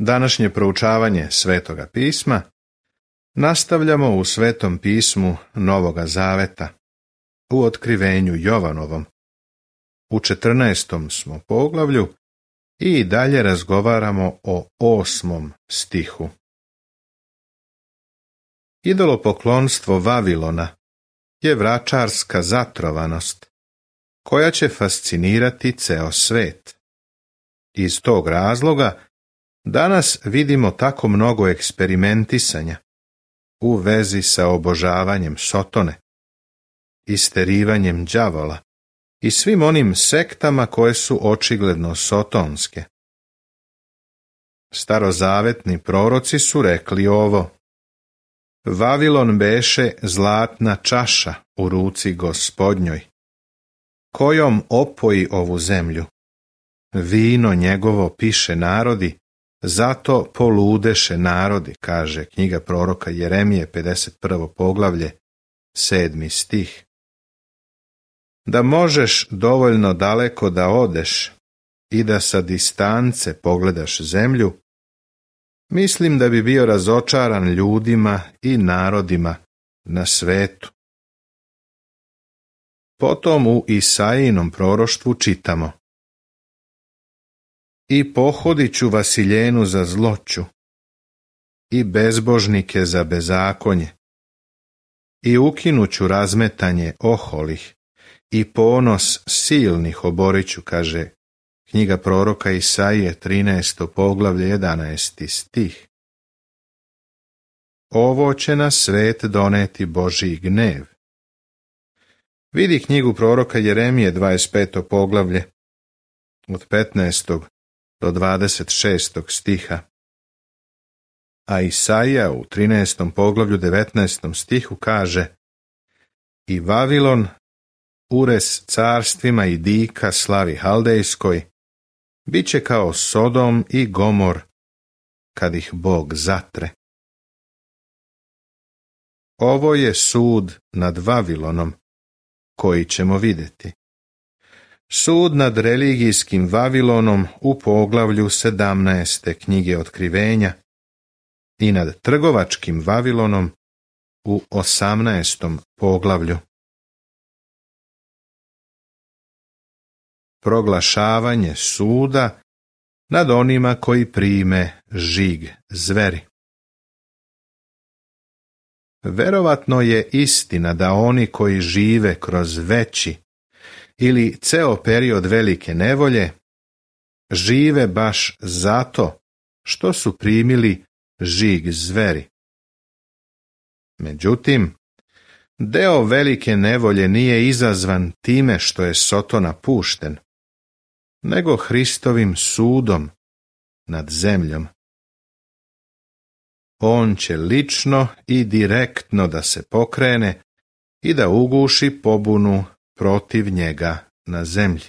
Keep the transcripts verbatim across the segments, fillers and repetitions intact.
Današnje proučavanje Svetoga pisma nastavljamo u Svetom pismu Novoga Zaveta, u Otkrivenju Jovanovom. U četrnaestom smo poglavlju i dalje razgovaramo o osmom stihu. Idolopoklonstvo Vavilona je vračarska zatrovanost koja će fascinirati ceo svet. Iz tog razloga danas vidimo tako mnogo eksperimentisanja u vezi sa obožavanjem Sotone, isterivanjem đavola i svim onim sektama koje su očigledno sotonske. Starozavetni proroci su rekli ovo: Vavilon beše zlatna čaša u ruci Gospodnjoj, kojom opoji ovu zemlju. Vino njegovo piše narodi, zato poludeše narodi, kaže knjiga proroka Jeremije, pedeset prvo poglavlje, sedmi stih. Da možeš dovoljno daleko da odeš i da sa distance pogledaš zemlju, mislim da bi bio razočaran ljudima i narodima na svetu. Potom u Isaijinom proroštvu čitamo: I pohodit ću Vasiljenu za zloću, i bezbožnike za bezakonje, i ukinuću razmetanje oholih, i ponos silnih oboriću, kaže knjiga proroka Isaije, trinaesto poglavlje, jedanaesti stih. Ovo će na svet doneti Božji gnev. Vidi knjigu proroka Jeremije, dvadeset peto poglavlje, od petnaestog do dvadeset šestog stiha. A Isaija u trinaestom poglavlju, devetnaestom stihu kaže: I Vavilon, ures carstvima i dika slavi haldejskoj, bit će kao Sodom i Gomor, kad ih Bog zatre. Ovo je sud nad Vavilonom, koji ćemo vidjeti. Sud nad religijskim Vavilonom u poglavlju sedamnaeste knjige Otkrivenja i nad trgovačkim Vavilonom u osamnaestom poglavlju. Proglašavanje suda nad onima koji prime žig zveri. Verovatno je istina da oni koji žive kroz veći ili ceo period velike nevolje žive baš zato što su primili žig zveri. Međutim, deo velike nevolje nije izazvan time što je Sotona pušten, nego Hristovim sudom nad zemljom. On će lično i direktno da se pokrene i da uguši pobunu protiv njega na zemlji.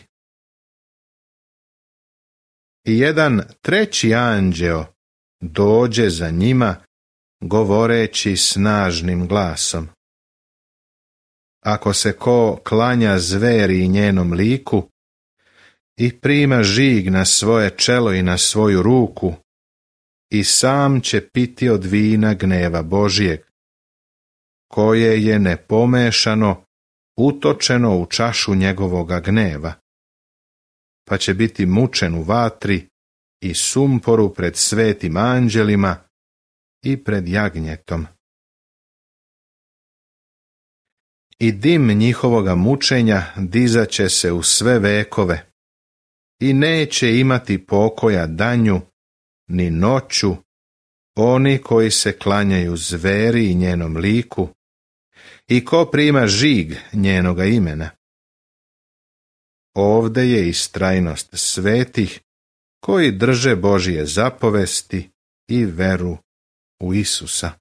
I jedan treći anđeo dođe za njima, govoreći snažnim glasom: Ako se ko klanja zveri i njenom liku i prima žig na svoje čelo i na svoju ruku, i sam će piti od vina gneva Božijeg, koje je nepomešano utočeno u čašu njegovoga gneva, pa će biti mučen u vatri i sumporu pred svetim anđelima i pred jagnjetom. I dim njihovoga mučenja dizaće se u sve vekove i neće imati pokoja danju ni noću oni koji se klanjaju zveri i njenom liku i ko prima žig njenoga imena. Ovde je istrajnost svetih koji drže Božije zapovesti i veru u Isusa.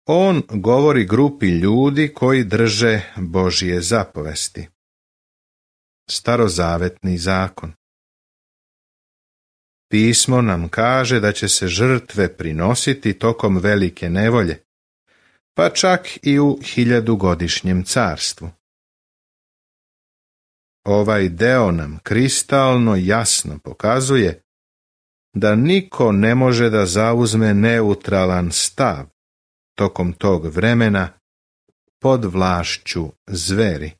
On govori grupi ljudi koji drže Božije zapovesti. Starozavetni zakon. Pismo nam kaže da će se žrtve prinositi tokom velike nevolje, pa čak i u hiljadugodišnjem carstvu. Ovaj deo nam kristalno jasno pokazuje da niko ne može da zauzme neutralan stav tokom tog vremena pod vlašću zveri.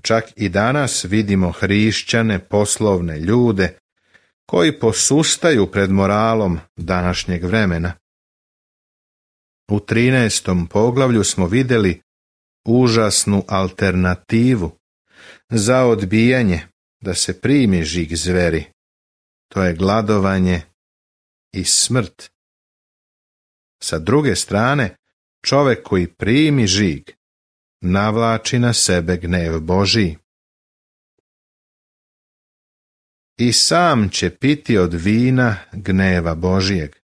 Čak i danas vidimo hrišćane poslovne ljude koji posustaju pred moralom današnjeg vremena. U trinaestom poglavlju smo vidjeli užasnu alternativu za odbijanje da se primi žig zveri. To je gladovanje i smrt. Sa druge strane, čovjek koji primi žig navlači na sebe gnev Božiji. I sam će piti od vina gneva Božijeg.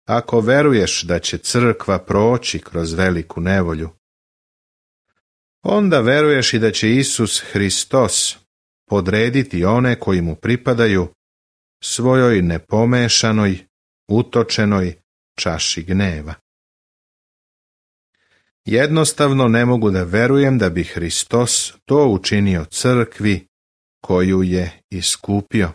Ako veruješ da će crkva proći kroz veliku nevolju, onda veruješ i da će Isus Hristos podrediti one koji mu pripadaju svojoj nepomešanoj, utočenoj čaši gneva. Jednostavno ne mogu da verujem da bi Hristos to učinio crkvi koju je iskupio.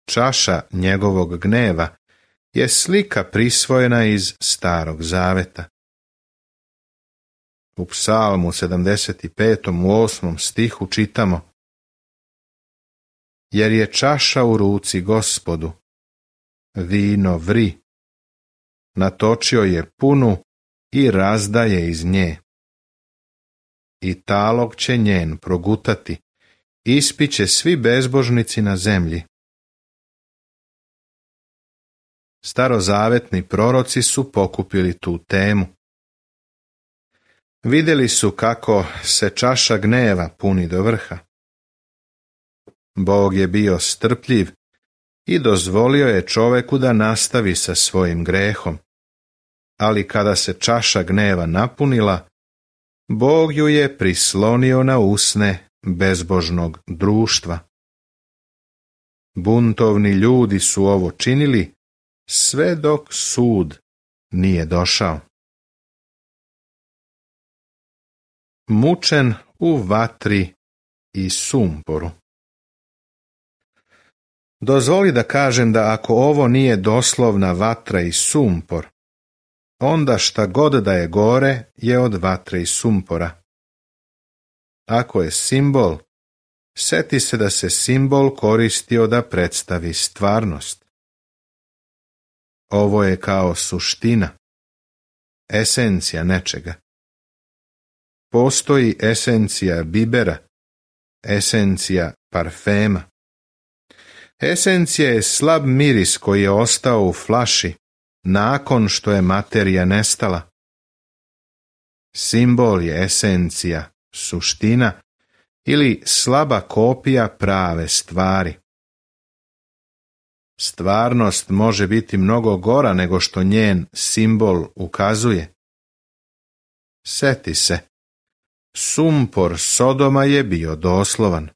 Čaša njegovog gneva je slika prisvojena iz Starog Zaveta. U Psalmu sedamdeset petom u osmom stihu čitamo: jer je čaša u ruci Gospodu, vino vri, natočio je punu i razdaje iz nje. I talog će njen progutati, ispiće svi bezbožnici na zemlji. Starozavetni proroci su pokupili tu temu. Vidjeli su kako se čaša gneva puni do vrha. Bog je bio strpljiv i dozvolio je čoveku da nastavi sa svojim grehom. Ali kada se čaša gneva napunila, Bog ju je prislonio na usne bezbožnog društva. Buntovni ljudi su ovo činili sve dok sud nije došao. Mučen u vatri i sumporu. Dozvoli da kažem da ako ovo nije doslovna vatra i sumpor, onda šta god da je gore je od vatre i sumpora. Ako je simbol, seti se da se simbol koristio da predstavi stvarnost. Ovo je kao suština, esencija nečega. Postoji esencija bibera, esencija parfema. Esencija je slab miris koji je ostao u flaši nakon što je materija nestala. Simbol je esencija, suština ili slaba kopija prave stvari. Stvarnost može biti mnogo gora nego što njen simbol ukazuje. Seti se, sumpor Sodoma je bio doslovan.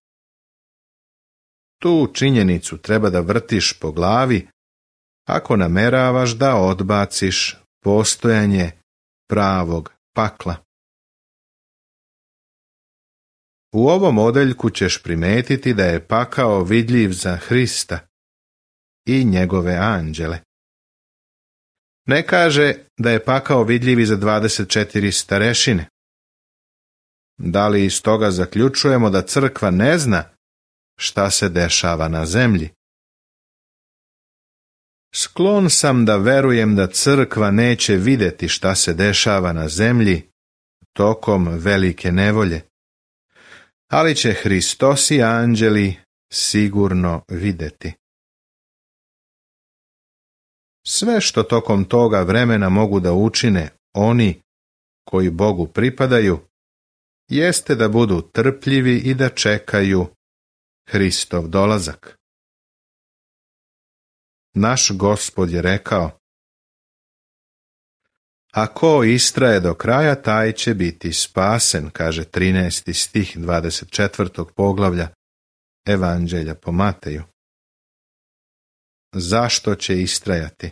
Tu činjenicu treba da vrtiš po glavi ako nameravaš da odbaciš postojanje pravog pakla. U ovom odeljku ćeš primetiti da je pakao vidljiv za Hrista i njegove anđele. Ne kaže da je pakao vidljiv i za dvadeset četiri starešine. Da li iz toga zaključujemo da crkva ne zna šta se dešava na zemlji? Sklon sam da verujem da crkva neće vidjeti šta se dešava na zemlji tokom velike nevolje, ali će Hristos i anđeli sigurno vidjeti. Sve što tokom toga vremena mogu da učine oni koji Bogu pripadaju, jeste da budu trpljivi i da čekaju Hristov dolazak. Naš Gospod je rekao: a ko istraje do kraja, taj će biti spasen, kaže trinaesti stih dvadeset četvrtog poglavlja Evanđelja po Mateju. Zašto će istrajati?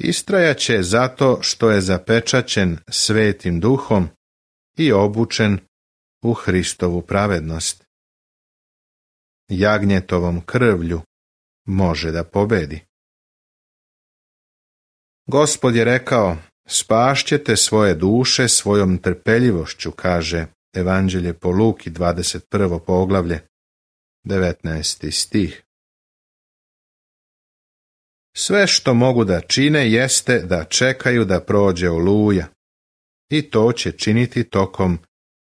Istrajaće zato što je zapečaćen Svetim Duhom i obučen u Hristovu pravednost. Jagnjetovom krvlju može da pobedi. Gospod je rekao, spašćete svoje duše svojom trpeljivošću, kaže Evanđelje po Luki, dvadeset prvo poglavlje, devetnaesti stih. Sve što mogu da čine jeste da čekaju da prođe oluja, i to će činiti tokom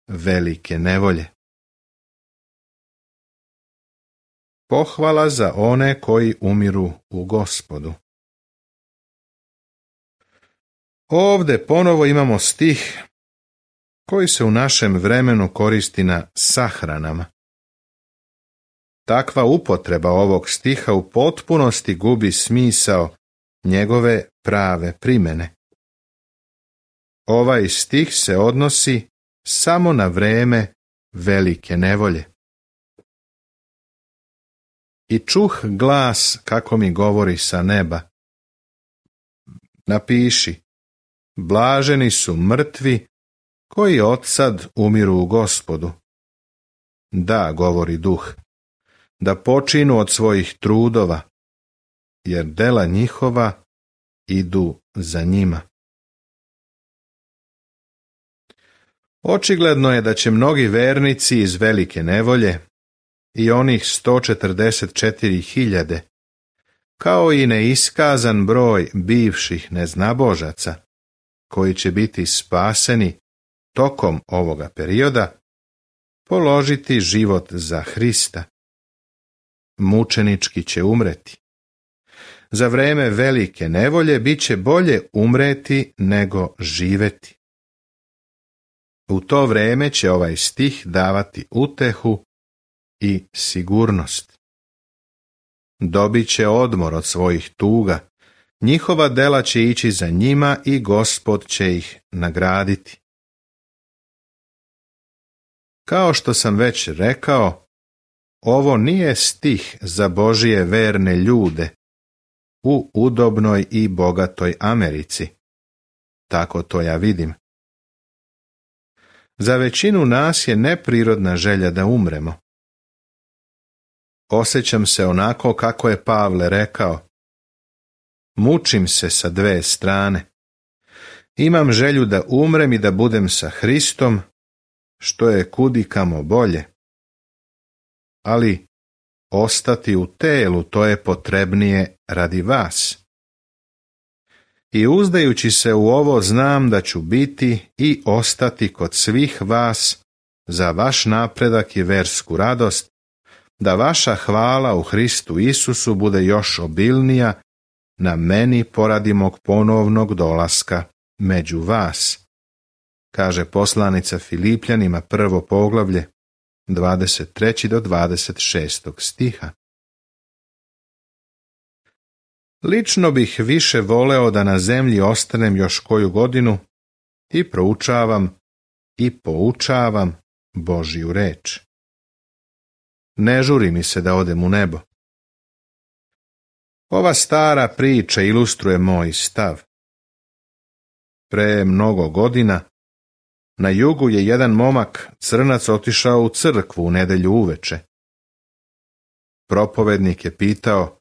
velike nevolje. Pohvala za one koji umiru u Gospodu. Ovde ponovo imamo stih koji se u našem vremenu koristi na sahranama. Takva upotreba ovog stiha u potpunosti gubi smisao njegove prave primene. Ovaj stih se odnosi samo na vreme velike nevolje. I čuh glas kako mi govori sa neba. Napiši, blaženi su mrtvi koji odsad umiru u Gospodu. Da, govori duh, da počinu od svojih trudova, jer dela njihova idu za njima. Očigledno je da će mnogi vernici iz velike nevolje i onih sto četrdeset četiri hiljade, kao i neiskazan broj bivših neznabožaca, koji će biti spaseni tokom ovoga perioda, položiti život za Hrista. Mučenički će umreti. Za vreme velike nevolje bit će bolje umreti nego živeti. U to vreme će ovaj stih davati utehu i sigurnost. Dobit će odmor od svojih tuga, njihova dela će ići za njima i Gospod će ih nagraditi. Kao što sam već rekao, ovo nije stih za Božije verne ljude u udobnoj i bogatoj Americi. Tako to ja vidim. Za većinu nas je neprirodna želja da umremo. Osjećam se onako kako je Pavle rekao. Mučim se sa dve strane. Imam želju da umrem i da budem sa Hristom, što je kudikamo bolje. Ali ostati u telu, to je potrebnije radi vas. I uzdajući se u ovo znam da ću biti i ostati kod svih vas za vaš napredak i versku radost, da vaša hvala u Hristu Isusu bude još obilnija na meni poradi mog ponovnog dolaska među vas, kaže poslanica Filipljanima prvo poglavlje, dvadeset treći do dvadeset šestog stiha. Lično bih više voleo da na zemlji ostanem još koju godinu i proučavam i poučavam Božju reč. Ne žuri mi se da odem u nebo. Ova stara priča ilustruje moj stav. Pre mnogo godina na jugu je jedan momak crnac otišao u crkvu u nedelju uveče. Propovednik je pitao,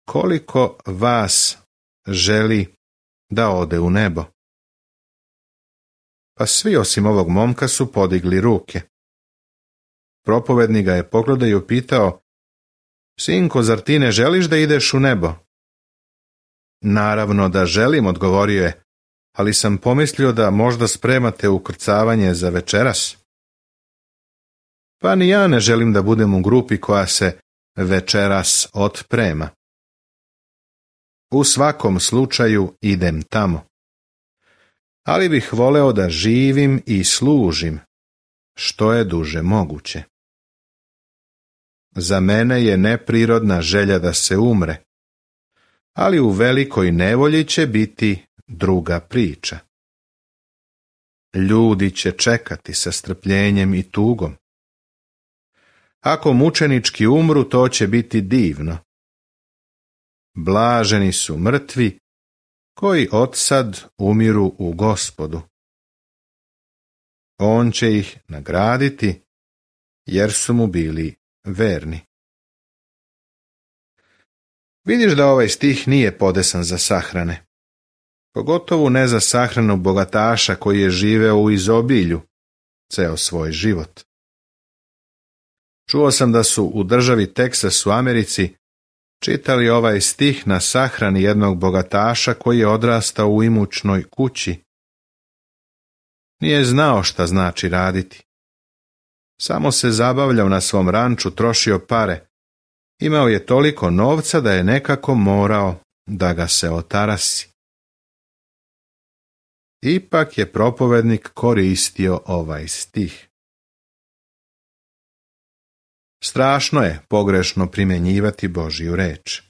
koliko vas želi da ode u nebo? Pa svi osim ovog momka su podigli ruke. Propovednik ga je pogledao i upitao, sinko, zar ti ne želiš da ideš u nebo? Naravno da želim, odgovorio je, ali sam pomislio da možda spremate ukrcavanje za večeras. Pa ni ja ne želim da budem u grupi koja se večeras otprema. U svakom slučaju idem tamo. Ali bih voleo da živim i služim, što je duže moguće. Za mene je neprirodna želja da se umre, ali u velikoj nevolji će biti druga priča. Ljudi će čekati sa strpljenjem i tugom. Ako mučenički umru, to će biti divno. Blaženi su mrtvi koji odsad umiru u Gospodu. On će ih nagraditi, jer su mu bili verni. Vidiš da ovaj stih nije podesan za sahrane, pogotovo ne za sahranu bogataša koji je živeo u izobilju ceo svoj život. Čuo sam da su u državi Teksas u Americi čitali ovaj stih na sahrani jednog bogataša koji je odrastao u imućnoj kući. Nije znao šta znači raditi. Samo se zabavljao na svom ranču, trošio pare. Imao je toliko novca da je nekako morao da ga se otarasi. Ipak je propovednik koristio ovaj stih. Strašno je pogrešno primjenjivati Božju reč.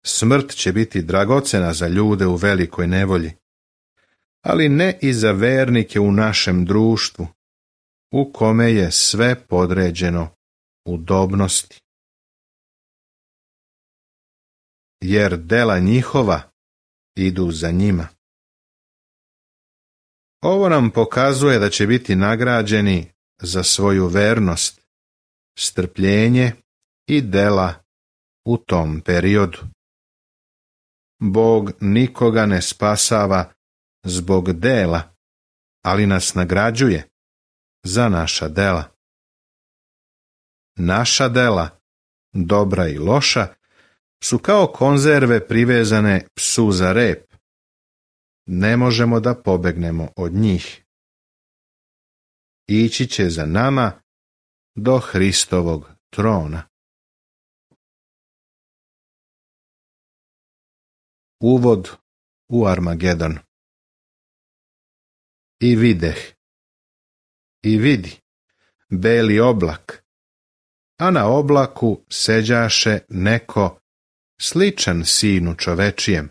Smrt će biti dragocena za ljude u velikoj nevolji, ali ne i za vernike u našem društvu, u kome je sve podređeno udobnosti. Jer dela njihova idu za njima. Ovo nam pokazuje da će biti nagrađeni za svoju vernost, strpljenje i dela u tom periodu. Bog nikoga ne spasava zbog dela, ali nas nagrađuje za naša dela. Naša dela, dobra i loša, su kao konzerve privezane psu za rep. Ne možemo da pobegnemo od njih. Ići će za nama do Hristovog trona. Uvod u Armagedon. I videh, i vidi, beli oblak, a na oblaku seđaše neko sličan sinu čovečijem,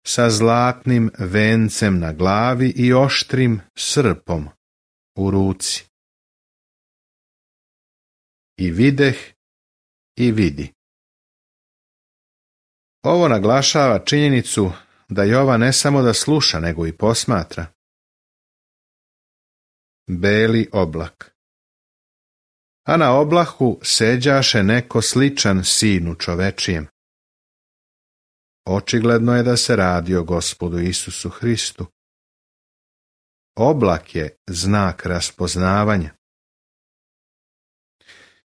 sa zlatnim vencem na glavi i oštrim srpom u ruci. I videh, i vidi. Ovo naglašava činjenicu da Jovan ne samo da sluša, nego i posmatra. Beli oblak. A na oblaku seđaše neko sličan sinu čovečijem. Očigledno je da se radi o Gospodu Isusu Hristu. Oblak je znak raspoznavanja.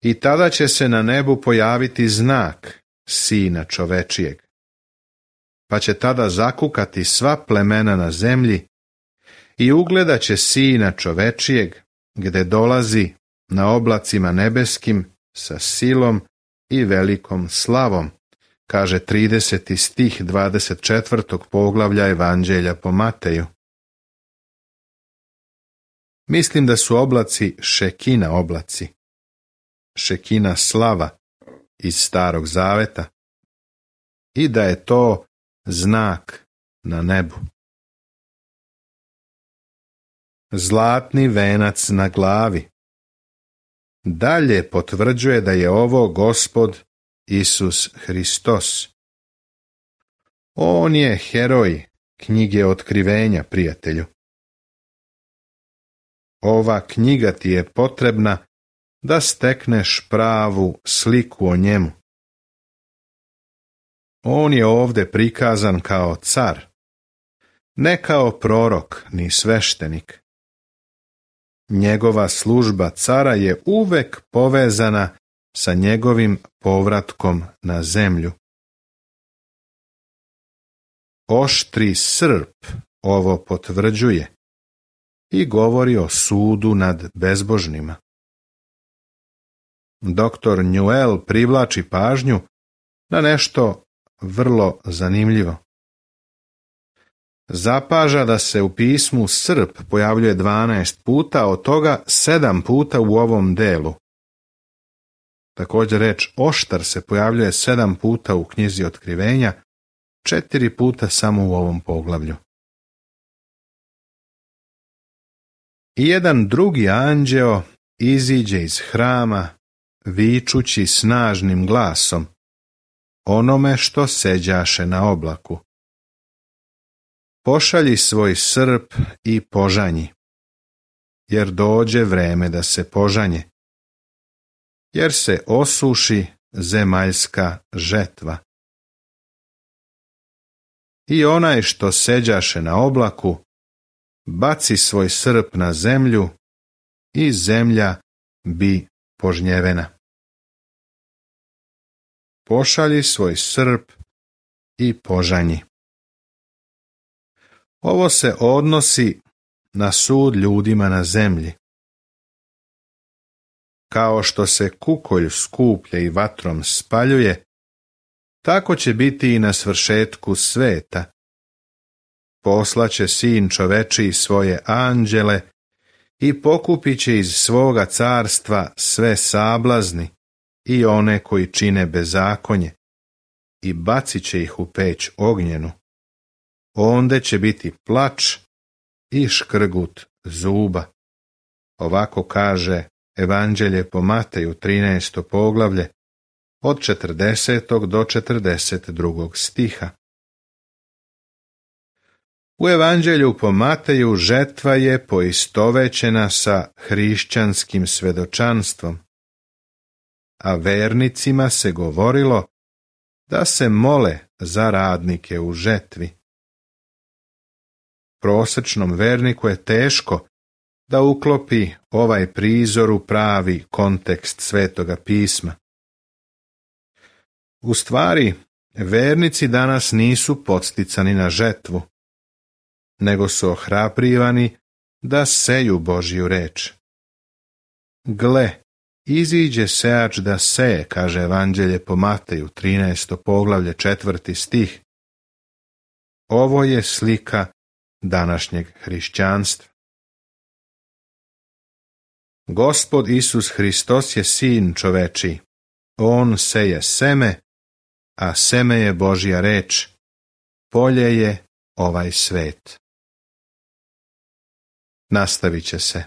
I tada će se na nebu pojaviti znak sina čovečijeg. Pa će tada zakukati sva plemena na zemlji i ugledat će sina čovečijeg, gde dolazi na oblacima nebeskim sa silom i velikom slavom, kaže trideseti stih dvadeset četvrtog poglavlja Evanđelja po Mateju. Mislim da su oblaci Šekina oblaci, Šekina slava iz Starog Zaveta, i da je to znak na nebu. Zlatni venac na glavi dalje potvrđuje da je ovo Gospod Isus Hristos. On je heroj knjige Otkrivenja, prijatelju. Ova knjiga ti je potrebna da stekneš pravu sliku o njemu. On je ovdje prikazan kao car, ne kao prorok ni sveštenik. Njegova služba cara je uvek povezana sa njegovim povratkom na zemlju. Oštri srp ovo potvrđuje i govori o sudu nad bezbožnima. Doktor Newell privlači pažnju na nešto vrlo zanimljivo. Zapaža da se u pismu srp pojavljuje dvanaest puta, od toga sedam puta u ovom delu. Također reč oštar se pojavljuje sedam puta u knjizi Otkrivenja, četiri puta samo u ovom poglavlju. I jedan drugi anđeo iziđe iz hrama, vičući snažnim glasom onome što seđaše na oblaku. Pošalji svoj srp i požanji, jer dođe vreme da se požanje, jer se osuši zemaljska žetva. I onaj što seđaše na oblaku, baci svoj srp na zemlju i zemlja bi požnjevena. Pošalji svoj srp i požanji. Ovo se odnosi na sud ljudima na zemlji. Kao što se kukolj skuplja i vatrom spaljuje, tako će biti i na svršetku sveta. Poslaće sin čovečiji svoje anđele i pokupit će iz svoga carstva sve sablazni i one koji čine bezakonje i bacit će ih u peć ognjenu. Onde će biti plač i škrgut zuba. Ovako kaže Evanđelje po Mateju, trinaesto poglavlje, od četrdesetog do četrdeset drugog stiha. U Evanđelju po Mateju žetva je poistovećena sa hrišćanskim svedočanstvom, a vernicima se govorilo da se mole za radnike u žetvi. Prosečnom verniku je teško da uklopi ovaj prizor u pravi kontekst Svetoga pisma. U stvari, vernici danas nisu podsticani na žetvu, nego su ohrabrivani da seju Božju reč. Gle, iziđe sejač da seje, kaže Evanđelje po Mateju, trinaesto poglavlje, četvrti stih. Ovo je slika današnjeg hrišćanstva. Gospod Isus Hristos je sin čovečiji. On seje seme, a seme je Božja reč. Polje je ovaj svet. Nastavit će se.